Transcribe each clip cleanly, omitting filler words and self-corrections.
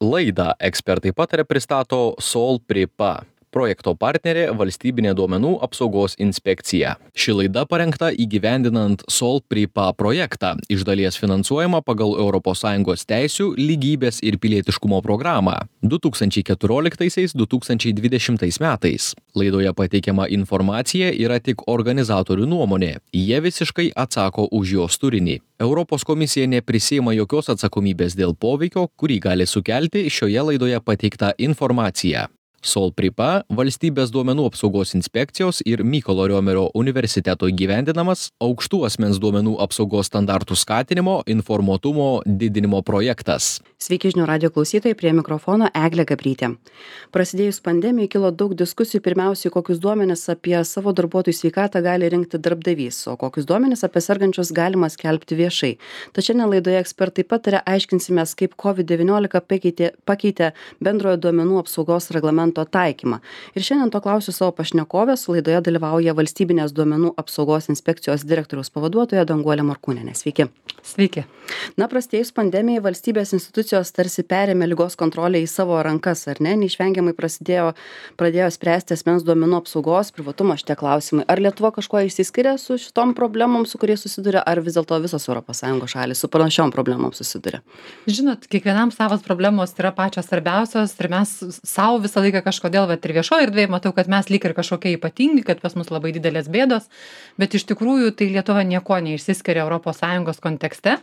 Laidą ekspertai pataria pristato Sol Pripa. Projekto partnerė Valstybinė duomenų apsaugos inspekcija. Ši laida parengta įgyvendinant Sol Pripa projektą, iš dalies finansuojama pagal ES teisių, lygybės ir pilietiškumo programą 2014-2020 metais. Laidoje pateikiama informacija yra tik organizatorių nuomonė. Jie visiškai atsako už jos turinį. Europos komisija neprisiima jokios atsakomybės dėl poveikio, kurį gali sukelti šioje laidoje pateikta informacija. Sol Pripa Valstybės duomenų apsaugos inspekcijos ir Mykolo Riomerio universiteto įgyvendinamas aukštų asmens duomenų apsaugos standartų skatinimo, informuotumo didinimo projektas. Sveiki žinių radijo klausytojai, prie mikrofono Eglė Gabrytė. Prasidėjus pandemijai kilo daug diskusijų, pirmiausiai, kokius duomenis apie savo darbuotojų sveikatą gali rinkti darbdavys, o kokius duomenis apie sergančius galima skelbti viešai. Tačiau šiandien laidoje ekspertai pataria, aiškinsimės, kaip COVID-19 pakeitė bendrojo duomenų apsaugos reglamento taikymą. Ir šiandien to klausiu savo pašnekovės, laidoje dalyvauja Valstybinės duomenų apsaugos inspekcijos direktoriaus pavaduotoja Danguolė Morkūnienė. Sveiki. Sveiki. Na, prasidėjus pandemijai, valstybės institucijos tarsi perėmė ligos kontrolę į savo rankas, ar ne? Neišvengiamai pradėjo spręsti asmens duomenų apsaugos, privatumo šitie klausimai. Ar Lietuva kažkuo išsiskiria su šitom problemom, su kuriais susiduria, ar vis dėlto visos ES šalys su panašiom problemom susiduria? Žinot, kiekvienam savas problemos yra pačios svarbiausios ir mes savo visą laiką kažkodėl, ir viešoje erdvėje matau, kad mes lyg ir kažkokie ypatingi, kad pas mus labai didelės bėdos, bet iš tikrųjų tai Lietuva nieko neišsiskiria ES kontekste.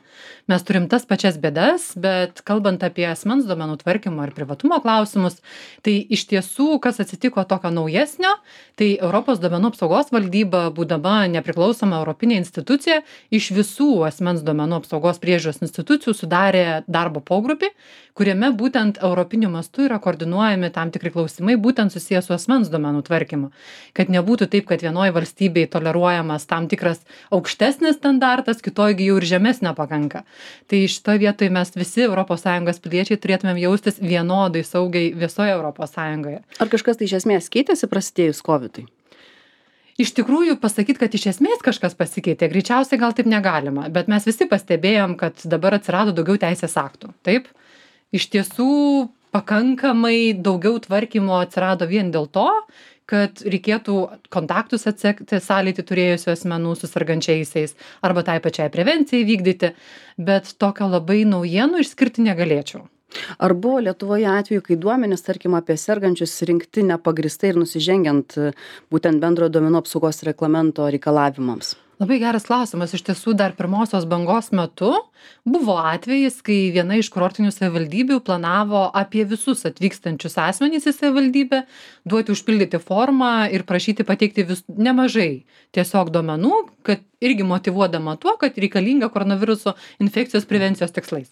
Mes turim tas pačias bėdas, bet kalbant apie asmens duomenų tvarkymo ir privatumo klausimus, tai iš tiesų, kas atsitiko tokio naujesnio, tai Europos duomenų apsaugos valdyba, būdama nepriklausoma europinė institucija, iš visų asmens duomenų apsaugos priežiūros institucijų sudarė darbo pogrupį, kuriame būtent europiniu mastu yra koordinuojami tam tikri klausimai, būtent susijęs su asmens duomenų tvarkymu. Kad nebūtų taip, kad vienoje valstybėje toleruojamas tam tikras aukštesnis standartas, kitoje jau ir žemesnio pakanka. Tai šitoje vietoje mes visi ES piliečiai turėtumėm jaustis vienodai saugiai visoje ES. Ar kažkas tai iš esmės keitėsi prasidėjus COVID-ui? Iš tikrųjų, pasakyti, kad iš esmės kažkas pasikeitė, greičiausiai gal taip negalima, bet mes visi pastebėjom, kad dabar atsirado daugiau teisės aktų. Taip? Iš tiesų, pakankamai daugiau tvarkymo atsirado vien dėl to, kad reikėtų kontaktus atsekti sąlytį turėjusių asmenų su sergančiaisiais arba tai pačiai prevencijai vykdyti, bet tokio labai naujienų išskirti negalėčiau. Ar buvo Lietuvoje atveju, kai duomenys, tarkim, apie sergančius rinkti nepagristai ir nusižengiant būtent bendrojo duomenų apsaugos reglamento reikalavimams? Labai geras klausimas. Iš tiesų, dar pirmosios bangos metu buvo atvejis, kai viena iš kurortinių savivaldybių planavo apie visus atvykstančius asmenys į savivaldybę duoti užpildyti formą ir prašyti pateikti nemažai tiesiog duomenų, kad irgi motyvuodama tuo, kad reikalinga koronaviruso infekcijos prevencijos tikslais.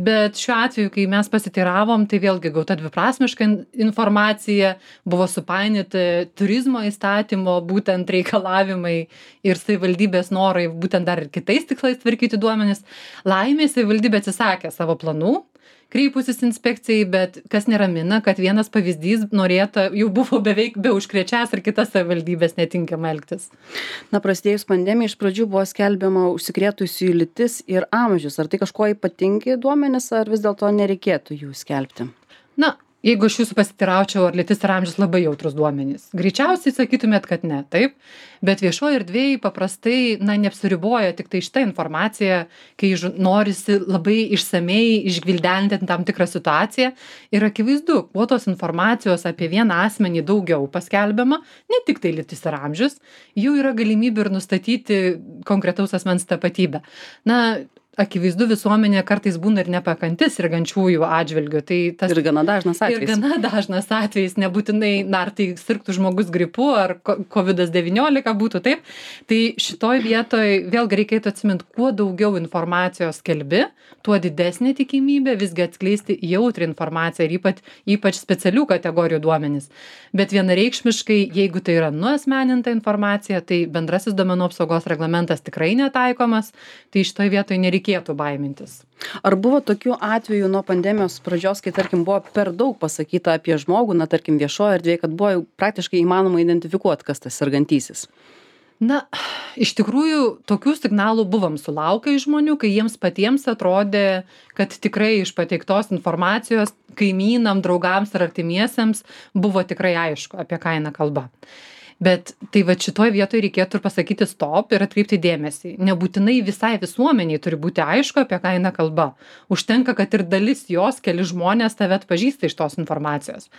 Bet šiuo atveju, kai mes pasiteiravom, tai vėlgi gauta dviprasmiška informacija, buvo supainioti turizmo įstatymo būtent reikalavimai ir savivaldybės norai būtent dar ir kitais tikslais tvarkyti duomenis. Laimė savivaldybė atsisakė savo planų, kreipusis inspekcijai, bet kas neramina, kad vienas pavyzdys norėta jau buvo beveik be užkrečias ir kitas savivaldybės netinkama elgtis. Na, prasidėjus pandemijai iš pradžių buvo skelbiama užsikrėtusiųjų lytis ir amžius. Ar tai kažkuo ypatingi duomenys, ar vis dėlto nereikėtų jų skelbti? Na, jeigu aš jūsų pasitiraučiau, ar lytis ir amžius labai jautrus duomenys. Greičiausiai sakytumėt, kad ne, taip? Bet viešoje erdvėje paprastai, neapsiriboja tik tai šitą informaciją, kai norisi labai išsamei išgvildenti tam tikrą situaciją. Ir akivaizdu, kuo tos informacijos apie vieną asmenį daugiau paskelbiama, ne tik tai lytis ir amžius, jų yra galimybė ir nustatyti konkretaus asmens tapatybę. Akivaizdu, visuomenė kartais būna ir nepakanti sergančiųjų atžvilgiu. Ir gana dažnas atvejis. Ir gana dažnas atvejis, nebūtinai, ar tai sirgtų žmogus gripu, ar COVID-19 būtų taip. Tai šitoj vietoj vėlgi reikėtų atsiminti, kuo daugiau informacijos skelbi, tuo didesnė tikimybė visgi atskleisti jautrią informaciją ir ypač specialių kategorijų duomenis. Bet vienareikšmiškai, jeigu tai yra nuasmeninta informacija, tai bendrasis duomenų apsaugos reglamentas tikrai netaikomas, tai šitoj vietoj nereikėtų baimintis. Ar buvo tokių atvejų nuo pandemijos pradžios, kai, tarkim, buvo per daug pasakyta apie žmogų, tarkim, viešoje erdvėje, kad buvo praktiškai įmanoma identifikuoti, kas tas sergantysis? Na, iš tikrųjų, tokių signalų buvom sulaukę iš žmonių, kai jiems patiems atrodė, kad tikrai iš pateiktos informacijos kaimynam, draugams ar artimiesiems buvo tikrai aišku, apie ką eina kalba. Bet tai va šitoj vietoj reikėtų ir pasakyti stop ir atkreipti dėmesį. Nebūtinai visai visuomeniai turi būti aišku, apie ką eina kalba. Užtenka, kad ir dalis jos, keli žmonės tave atpažįsta iš tos informacijos.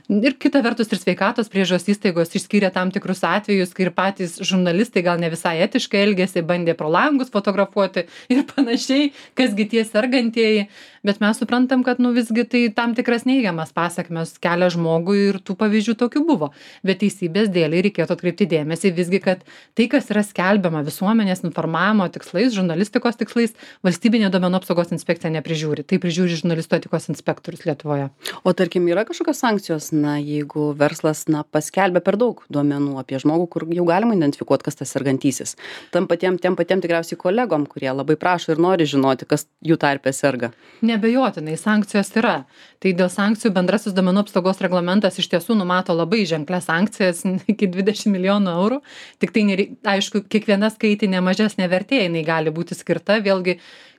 Ir kita vertus ir sveikatos priežiūros įstaigos išskyrė tam tikrus atvejus, kai ir patys žurnalistai gal ne visai etiškai elgėsi, bandė pro langus fotografuoti ir panašiai, kasgi tie sergantieji. Bet mes suprantam, kad visgi tai tam tikras neigiamas pasekmes kelia žmogui ir tų pavyzdžių tokių buvo. Bet teisybės dėlei reikėtų atkreipti dėmesį visgi, kad tai, kas yra skelbiama visuomenės informavimo tikslais, žurnalistikos tikslais, valstybinė duomenų apsaugos inspekcija neprižiūri. Tai prižiūri žurnalistų etikos inspektorius Lietuvoje. O tarkim, yra kažkokios sankcijos, jeigu verslas, paskelbia per daug duomenų apie žmogų, kur jau galima identifikuoti, kas tas sergantysis. Tiem patiem tikriausiai kolegom, kurie labai prašo ir nori žinoti, kas jų tarpe serga. Neabejotinai, sankcijos yra. Tai dėl sankcijų bendrasis duomenų apsaugos reglamentas iš tiesų numato labai ženklias sankcijas iki 20 milijonų eurų. Tik tai, aišku, kiekviena skaitinė mažesnė vertė jinai gali būti skirta. Vėlgi,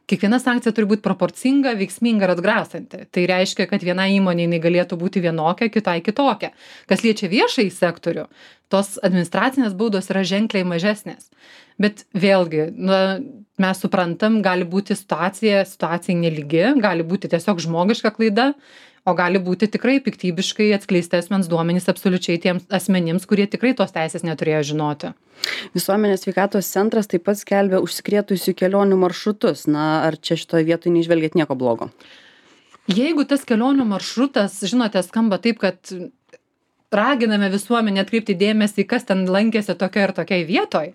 kiekviena sankcija turi būti proporcinga, veiksminga ir atgrasanti. Tai reiškia, kad viena įmonė jinai galėtų būti vienokia, kitai kitokia. Kas liečia viešąjį sektorių, tos administracinės baudos yra ženkliai mažesnės. Bet vėlgi, mes suprantam, gali būti situacija nelygi, gali būti tiesiog žmogiška klaida, o gali būti tikrai piktybiškai atskleisti asmens duomenys absoliučiai tiems asmenims, kurie tikrai tos teisės neturėjo žinoti. Visuomenės sveikatos centras taip pat skelbia užsikrėtusių kelionių maršrutus. Ar čia šitoje vietoje neižvelgiat nieko blogo? Jeigu tas kelionių maršrutas, žinote, skamba taip, kad raginame visuomenę atkreipti dėmesį, kas ten lankėsi tokia ir tokiai vietoj,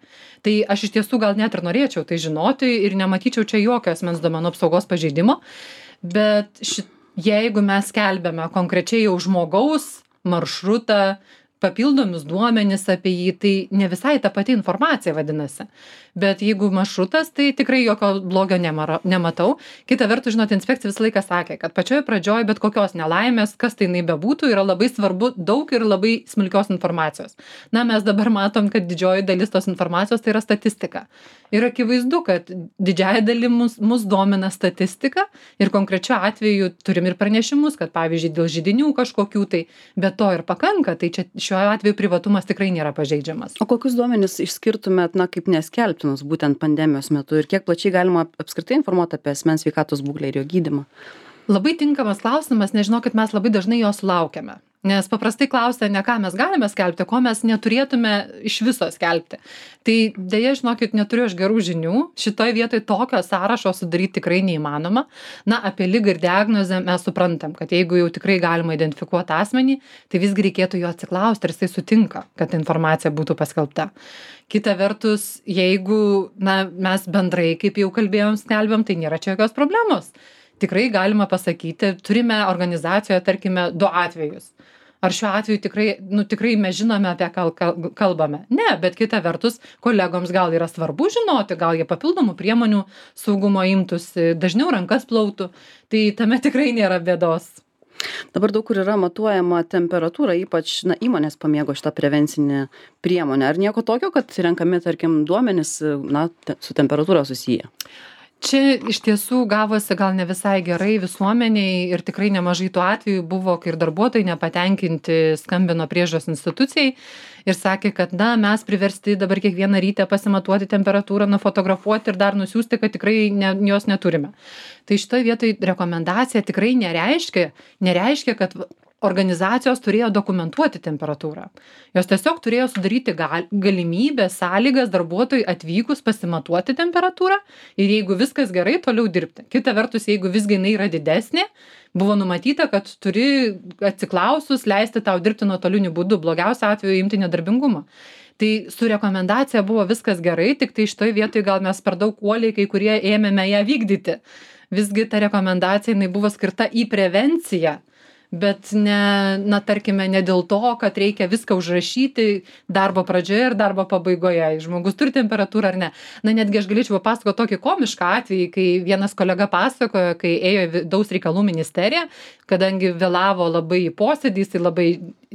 tai aš iš tiesų gal net ir norėčiau tai žinoti ir nematyčiau čia jokio asmens duomenų apsaugos pažeidimo, bet jeigu mes skelbiame konkrečiai jau žmogaus maršrutą, papildomus duomenis apie jį, tai ne visai ta pati informacija vadinasi. Bet jeigu maršrutas, tai tikrai jokio blogio nematau. Kita vertus, žinot, inspekcija visą laiką sakė, kad pačioje pradžioje bet kokios nelaimės, kas tai bebūtų, yra labai svarbu daug ir labai smulkios informacijos. Mes dabar matom, kad didžioji dalis tos informacijos tai yra statistika. Ir akivaizdu, kad didžiąją dalį mus domina statistika ir konkrečiu atveju turim ir pranešimus, kad pavyzdžiui dėl židinių kažkokių tai, bet to ir pakanka, tai čia šiuo atveju privatumas tikrai nėra pažeidžiamas. O kokius duomenis išskirtumėt, kaip neskelbtinus būtent pandemijos metu ir kiek plačiai galima apskritai informuoti apie asmens sveikatos būklę ir jo gydymą? Labai tinkamas klausimas, nežinau, kad mes labai dažnai jo sulaukiame. Nes paprastai klausia, ne ką mes galime skelbti, ko mes neturėtume iš viso skelbti. Tai dėja, žinokit, neturiu aš gerų žinių. Šitoje vietoje tokio sąrašo sudaryti tikrai neįmanoma. Apie ligą ir diagnozę mes suprantam, kad jeigu jau tikrai galima identifikuoti asmenį, tai visgi reikėtų jo atsiklausti, ar jisai sutinka, kad informacija būtų paskelbta. Kita vertus, jeigu mes bendrai, kaip jau kalbėjom, skelbiam, tai nėra čia jokios problemos. Tikrai galima pasakyti, turime organizacijoje, tarkime, 2 atvejus. Ar šiuo atveju tikrai mes žinome, apie ką kalbame? Ne, bet kita vertus, kolegoms gal yra svarbu žinoti, gal jie papildomų priemonių saugumo imtųsi, dažniau rankas plautų, tai tame tikrai nėra bėdos. Dabar daug kur yra matuojama temperatūra, ypač įmonės pamėgo šitą prevencinę priemonę. Ar nieko tokio, kad renkami, tarkim, duomenys su temperatūra susiję? Čia iš tiesų gavosi gal ne visai gerai visuomeniai ir tikrai nemažai tų atvejų buvo, kai ir darbuotojai nepatenkinti skambino priežiūros institucijai ir sakė, kad mes priversti dabar kiekvieną rytą pasimatuoti temperatūrą, nufotografuoti ir dar nusiųsti, kad tikrai jos neturime. Tai šitoje vietoje rekomendacija tikrai nereiškia, kad organizacijos turėjo dokumentuoti temperatūrą. Jos tiesiog turėjo sudaryti galimybę, sąlygas darbuotojui atvykus pasimatuoti temperatūrą ir jeigu viskas gerai, toliau dirbti. Kita vertus, jeigu visgi jinai yra didesnė, buvo numatyta, kad turi atsiklausus leisti tau dirbti nuotoliniu būdu, blogiausia atveju imti nedarbingumą. Tai su rekomendacija buvo viskas gerai, tik tai šitoje vietoje gal mes per daug uoliai kai kurie ėmėme ją vykdyti. Visgi ta rekomendacija jinai buvo skirta į prevenciją. bet ne, tarkime, ne dėl to, kad reikia viską užrašyti darbo pradžioje ir darbo pabaigoje. Žmogus turi temperatūrą ar ne. Na, netgi aš galėčiau papasakoti tokį komišką atvejį, kai vienas kolega pasakojo, kai ėjo į vidaus reikalų ministeriją, kadangi vėlavo labai į posėdį, jis labai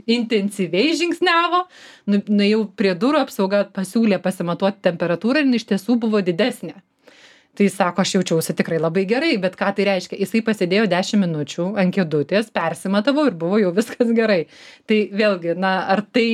intensyviai žingsniavo, nuėjau prie durų, apsauga pasiūlė pasimatuoti temperatūrą ir iš tiesų buvo didesnė. Tai sako, aš jaučiausi tikrai labai gerai, bet ką tai reiškia? Jisai pasėdėjo 10 minučių ant kėdutės, persimatavo ir buvo jau viskas gerai. Tai vėlgi, ar tai,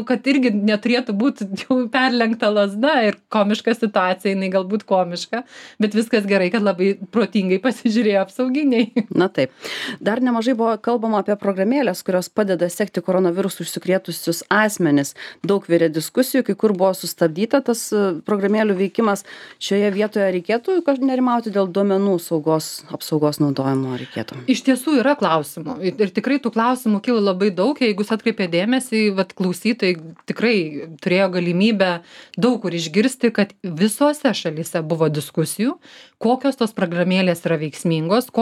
kad irgi neturėtų būti jau perlenkta lazda ir komiška situacija, jinai galbūt komiška, bet viskas gerai, kad labai protingai pasižiūrėjo apsauginiai. Na taip. Dar nemažai buvo kalbama apie programėlės, kurios padeda sekti koronavirusų užsikrėtusius asmenis. Daug virė diskusijų, kai kur buvo sustabdyta tas programėlių veikimas. Šioje vietoje reikėtų nerimauti dėl duomenų apsaugos naudojimo reikėtų? Iš tiesų yra klausimų ir tikrai tų klausimų kilo labai daug, jeigu jūs atkreipė dėmesį, klausytojai tikrai turėjo galimybę daug kur išgirsti, kad visose šalyse buvo diskusijų, kokios tos programėlės yra veiksmingos,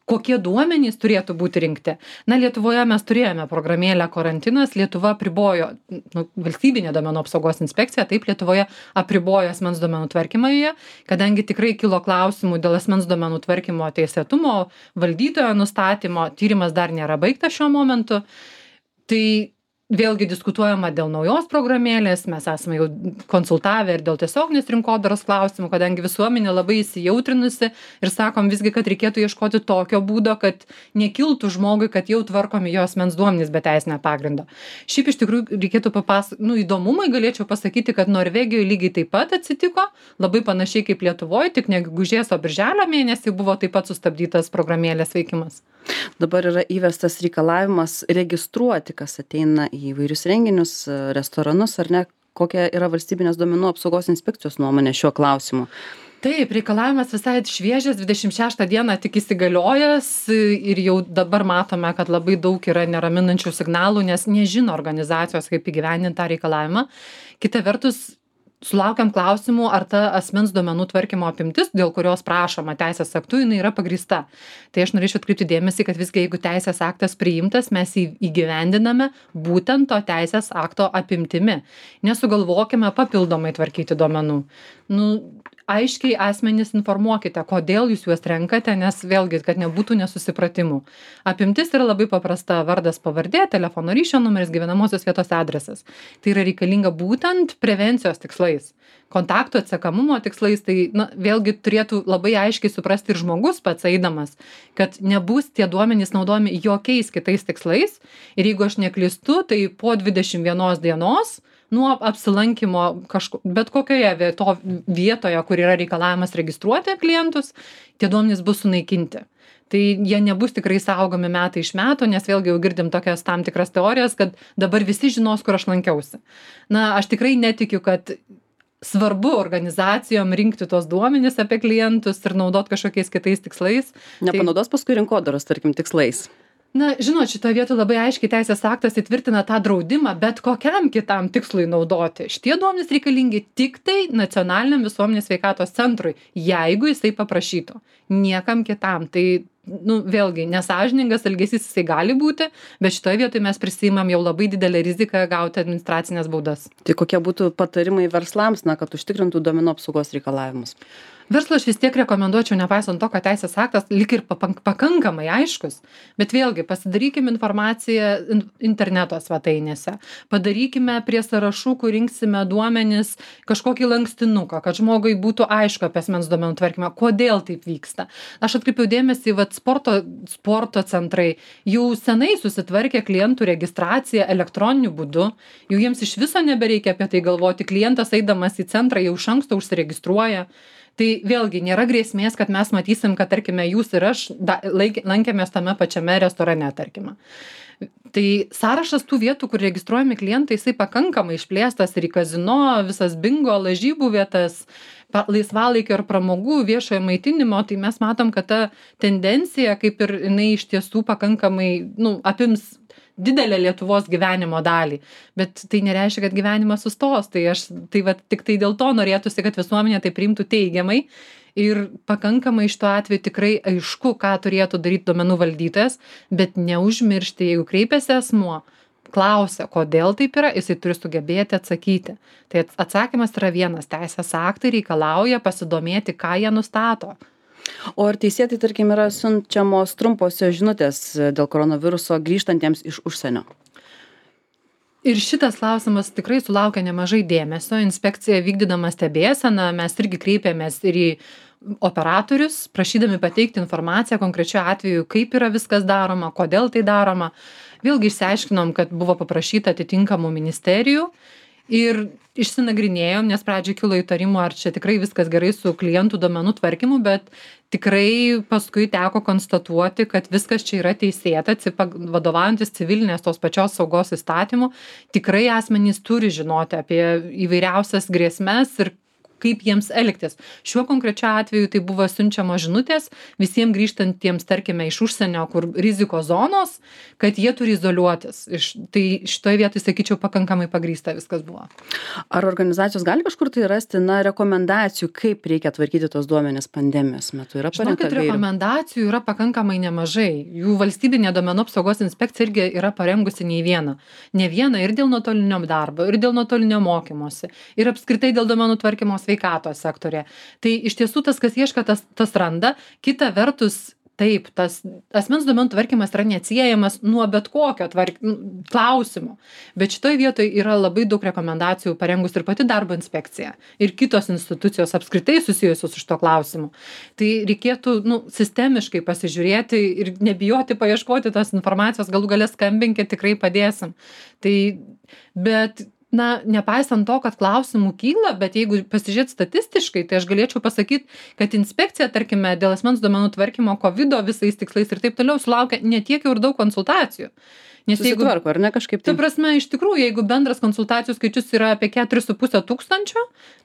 kokie duomenys turėtų būti rinkti. Lietuvoje mes turėjome programėlę karantinas, Lietuva apribojo, valstybinė duomenų apsaugos inspekcija, taip Lietuvoje apribojo asmens duomenų tvarkymą joje, kadangi tikrai kilo klausimų dėl asmens duomenų tvarkymo teisėtumo, valdytojo nustatymo, tyrimas dar nėra baigtas šiuo momentu. Tai vėlgi diskutuojama dėl naujos programėlės, mes esame jau konsultavę ir dėl tiesioginės rinkodaros klausimų, kadangi visuomenė labai įsijautrinusi ir sakom visgi, kad reikėtų ieškoti tokio būdo, kad nekiltų žmogui, kad jau tvarkomi jo asmens duomenys be teisinio pagrindo. Šiaip iš tikrųjų reikėtų įdomumai galėčiau pasakyti, kad Norvegijoje lygiai taip pat atsitiko, labai panašiai kaip Lietuvoje, tik ne gegužės, o birželio mėnesį buvo taip pat sustabdytas programėlės veikimas. Dabar yra įvestas reikalavimas registruoti, kas ateina į įvairius renginius, restoranus, ar ne? Kokia yra valstybinės duomenų apsaugos inspekcijos nuomonė šiuo klausimu? Taip, reikalavimas visai šviežias, 26 dieną tik įsigaliojęs ir jau dabar matome, kad labai daug yra neraminančių signalų, nes nežino organizacijos, kaip įgyvendinti tą reikalavimą. Kita vertus, sulaukiam klausimų, ar ta asmens duomenų tvarkymo apimtis, dėl kurios prašoma teisės aktų, jinai yra pagrįsta. Tai aš norėčiau atkreipti dėmesį, kad visgi jeigu teisės aktas priimtas, mes jį įgyvendiname būtent to teisės akto apimtimi. Nesugalvokime papildomai tvarkyti duomenų. Aiškiai asmenys informuokite, kodėl jūs juos renkate, nes vėlgi, kad nebūtų nesusipratimų. Apimtis yra labai paprasta: vardas, pavardė, telefono ryšio numeris, gyvenamosios vietos adresas. Tai yra reikalinga būtent prevencijos tikslais, kontaktų atsekamumo tikslais. Tai vėlgi turėtų labai aiškiai suprasti ir žmogus pats eidamas, kad nebus tie duomenys naudojami jokiais kitais tikslais. Ir jeigu aš neklystu, tai po 21 dienos nuo apsilankymo bet kokioje vietoje, kur yra reikalavimas registruoti klientus, tie duomenys bus sunaikinti. Tai jie nebus tikrai saugomi metai iš metų, nes vėlgi jau girdim tokias tam tikras teorijas, kad dabar visi žinos, kur aš lankiausi. Aš tikrai netikiu, kad svarbu organizacijom rinkti tos duomenys apie klientus ir naudot kažkokiais kitais tikslais. Nepanaudos paskui rinkodaros, tarkim, tikslais. Žinot, šitoje vietoje labai aiškiai teisės aktas įtvirtina tą draudimą bet kokiam kitam tikslui naudoti. Šitie duomenys reikalingi tik tai nacionaliniam visuomenės sveikatos centrui, jeigu jisai paprašytų. Niekam kitam. Tai, vėlgi, nesąžiningas elgesys jisai gali būti, bet šitoje vietoje mes prisiimam jau labai didelę riziką gauti administracinės baudas. Tai kokie būtų patarimai verslams, kad užtikrintų duomenų apsaugos reikalavimus? Verslą aš vis tiek rekomenduočiau, nepaisant to, kad teisės aktas lyg ir pakankamai aiškus, bet vėlgi pasidarykime informaciją interneto svetainėse, padarykime prie sąrašų, kur rinksime duomenis, kažkokį lankstinuką, kad žmogui būtų aišku apie asmens duomenų tvarkymą, kodėl taip vyksta. Aš atkreipiau dėmesį, sporto centrai jau senai susitvarkė klientų registraciją elektroniniu būdu, jau jiems iš viso nebereikia apie tai galvoti, klientas eidamas į centrą jau iš anksto užsiregistruoja. Tai vėlgi nėra grėsmės, kad mes matysim, kad, tarkime, jūs ir aš lankėmės tame pačiame restorane, tarkime. Tai sąrašas tų vietų, kur registruojami klientai, jisai pakankamai išplėstas ir į kazino, visas bingo, lažybų vietas, laisvalaikio ir pramogų, viešojo maitinimo. Tai mes matom, kad ta tendencija, kaip ir jinai iš tiesų pakankamai apims didelę Lietuvos gyvenimo dalį, bet tai nereiškia, kad gyvenimas sustos. Tai tik tai dėl to norėtųsi, kad visuomenė tai priimtų teigiamai Ir pakankamai šituo atveju tikrai aišku, ką turėtų daryti duomenų valdytojas, bet neužmiršti, jeigu kreipiasi asmuo, klausia, kodėl taip yra, jisai turi sugebėti atsakyti. Tai atsakymas yra vienas, teisės aktai reikalauja pasidomėti, ką jie nustato. O ar teisėtai, tarkim, yra siunčiamos trumposios žinutės dėl koronaviruso grįžtantiems iš užsienio? Ir šitas klausimas tikrai sulaukia nemažai dėmesio. Inspekcija vykdydama stebėseną, mes irgi kreipėmės ir į operatorius, prašydami pateikti informaciją konkrečiu atveju, kaip yra viskas daroma, kodėl tai daroma. Vėlgi išsiaiškinom, kad buvo paprašyta atitinkamų ministerijų ir išsinagrinėjom, nes pradžioj kilo įtarimų, ar čia tikrai viskas gerai su klientų duomenų tvarkymu, bet tikrai paskui teko konstatuoti, kad viskas čia yra teisėta, vadovaujantis civilinės tos pačios saugos įstatymu, tikrai asmenys turi žinoti apie įvairiausias grėsmes ir kaip jiems elgtis. Šiuo konkrečiu atveju tai buvo siunčiamos žinutės visiems grįžtantiems, tarkime, iš užsienio, kur rizikos zonos, kad jie turi izoliuotis. Tai šitoje vietoje, sakyčiau, pakankamai pagrįsta viskas buvo. Ar organizacijos gali kažkur tai rasti, rekomendacijų, kaip reikia tvarkyti tos duomenis pandemijos metu? Yra parengta gairių? Rekomendacijų yra pakankamai nemažai. Jų valstybinė duomenų apsaugos inspekcija irgi yra parengusi ne vieną ir dėl nuotolinio darbo, ir dėl nuotolinio mokymosi, ir apskritai dėl duomenų tvarkymo sveikatos sektorė. Tai iš tiesų tas, kas ieško, tas randa. Kita vertus, taip, tas asmens duomenų tvarkymas yra neatsiejamas nuo bet kokio klausimo. Bet šitoje vietoje yra labai daug rekomendacijų parengus ir pati darbo inspekcija. Ir kitos institucijos apskritai susijusios su šito klausimu. Tai reikėtų sistemiškai pasižiūrėti ir nebijoti paieškoti tos informacijos, galų gale skambinkit, tikrai padėsim. Bet nepaisant to, kad klausimų kyla, bet jeigu pasižiūrėt statistiškai, tai aš galėčiau pasakyti, kad inspekcija, tarkime, dėl asmens duomenų tvarkymo COVID visais tikslais ir taip toliau sulaukia ne tiek jau ir daug konsultacijų. Nes susitvarko, ar ne kažkaip tai? Ta prasme, iš tikrųjų, jeigu bendras konsultacijų skaičius yra apie 4,5 tūkstančio,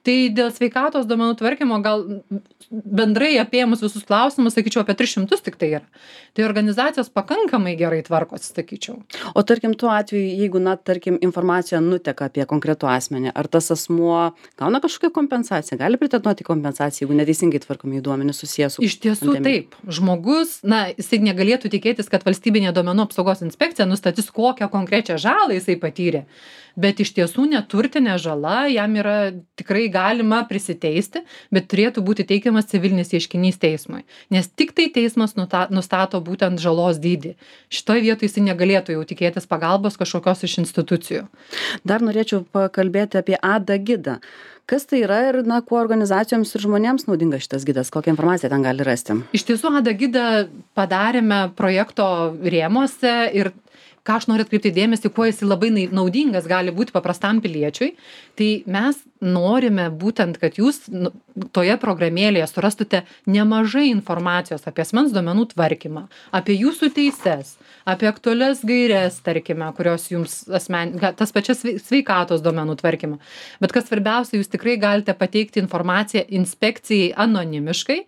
tai dėl sveikatos duomenų tvarkymo gal bendrai apėmus visus klausimus, sakyčiau, apie 300 tik tai yra. Tai organizacijos pakankamai gerai tvarkosi, sakyčiau. O tarkim, tuo atveju, jeigu, tarkim, informacija nuteka apie konkretų asmenį, ar tas asmuo gauna kažkokią kompensaciją, gali pretenduoti kompensaciją, jeigu neteisingai tvarkomi duomenys susijęs su Iš tiesų pandemija? taip. Žmogus, jisai negalėtų tikėtis, kad valstybinė duomenų apsaugos inspekcija nustatys, kokią konkrečią žalą jisai patyrė. Bet iš tiesų neturtinė žala jam yra tikrai galima prisiteisti, bet turėtų būti teikiamas civilinis ieškinys teismui. Nes tik tai teismas nustato būtent žalos dydį. Šitoje vietoje jisai negalėtų jau tikėtis pagalbos kažkokios iš institucijų. Dar norėčiau pakalbėti apie ADA gidą. Kas tai yra ir kuo organizacijoms ir žmonėms naudinga šitas gidas? Kokią informaciją ten gali rasti? Iš tiesų ADA gidą padarėme projekto rėmuose ir ką aš noriu atkreipti dėmesį, kuo jis labai naudingas gali būti paprastam piliečiui, tai mes norime būtent, kad jūs toje programėlėje surastute nemažai informacijos apie asmens duomenų tvarkymą, apie jūsų teises, apie aktualias gaires, tarkime, kurios jums tas pačias sveikatos duomenų tvarkymą. Bet kas svarbiausia, jūs tikrai galite pateikti informaciją inspekcijai anonimiškai,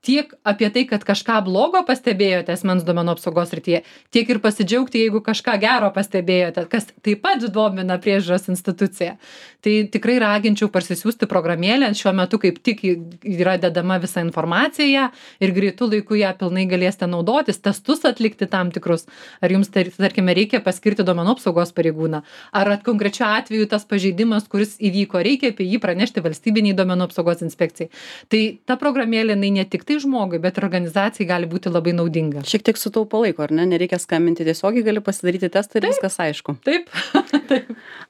tiek apie tai, kad kažką blogo pastebėjote asmens duomenų apsaugos srityje, tiek ir pasidžiaugti, jeigu kažką gero pastebėjote, kas taip pat domina priežiūros instituciją. Tai tikrai raginčiau parsisiųsti programėlę, šiuo metu kaip tik yra dedama visa informacija ir greitų laikų ją pilnai galėsite naudotis, testus atlikti tam tikrus, ar jums, tarkime, reikia paskirti duomenų apsaugos pareigūną, ar konkrečiu atveju tas pažeidimas, kuris įvyko, reikia apie jį pranešti valstybiniai duomenų apsaugos inspekcijai. Tai ta programėlė, ne tik tai žmogui, bet ir organizacijai gali būti labai naudinga. Šiek tiek sutaupo laiko, ar ne? Nereikia skambinti tiesiogiai, gali pasidaryti testą ir viskas aišku. Taip.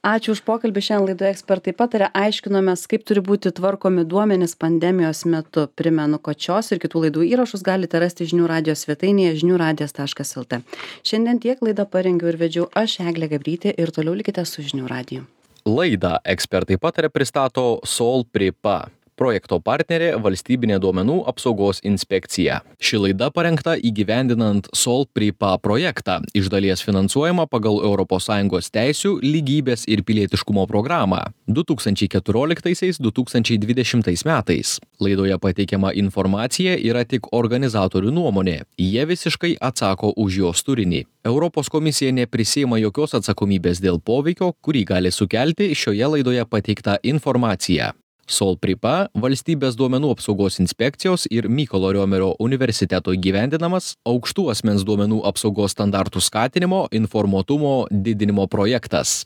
Ačiū už pokalbį. Šiandien laidoje ekspertai patarė, aiškinomės, kaip turi būti tvarkomi duomenys pandemijos metu. Primenu, kad šios ir kitų laidų įrašus galite rasti žinių radijo svetainėje žiniųradijas.lt. Šiandien tiek laidą parengiau ir vedžiau aš, Eglė Gabrytė, ir toliau likite su žinių radiju. Laidą ekspertai patarė pristato Sol Pripa. Projekto partnerė Valstybinė duomenų apsaugos inspekcija. Ši laida parengta įgyvendinant Sol Pripa projektą, iš dalies finansuojama pagal ES teisių, lygybės ir pilietiškumo programą 2014-2020 metais. Laidoje pateikiama informacija yra tik organizatorių nuomonė. Jie visiškai atsako už jos turinį. Europos komisija neprisiima jokios atsakomybės dėl poveikio, kurį gali sukelti šioje laidoje pateikta informacija. Solpripa valstybės duomenų apsaugos inspekcijos ir Mykolo Riomerio universiteto įgyvendinamas aukštų asmens duomenų apsaugos standartų skatinimo, informuotumo didinimo projektas.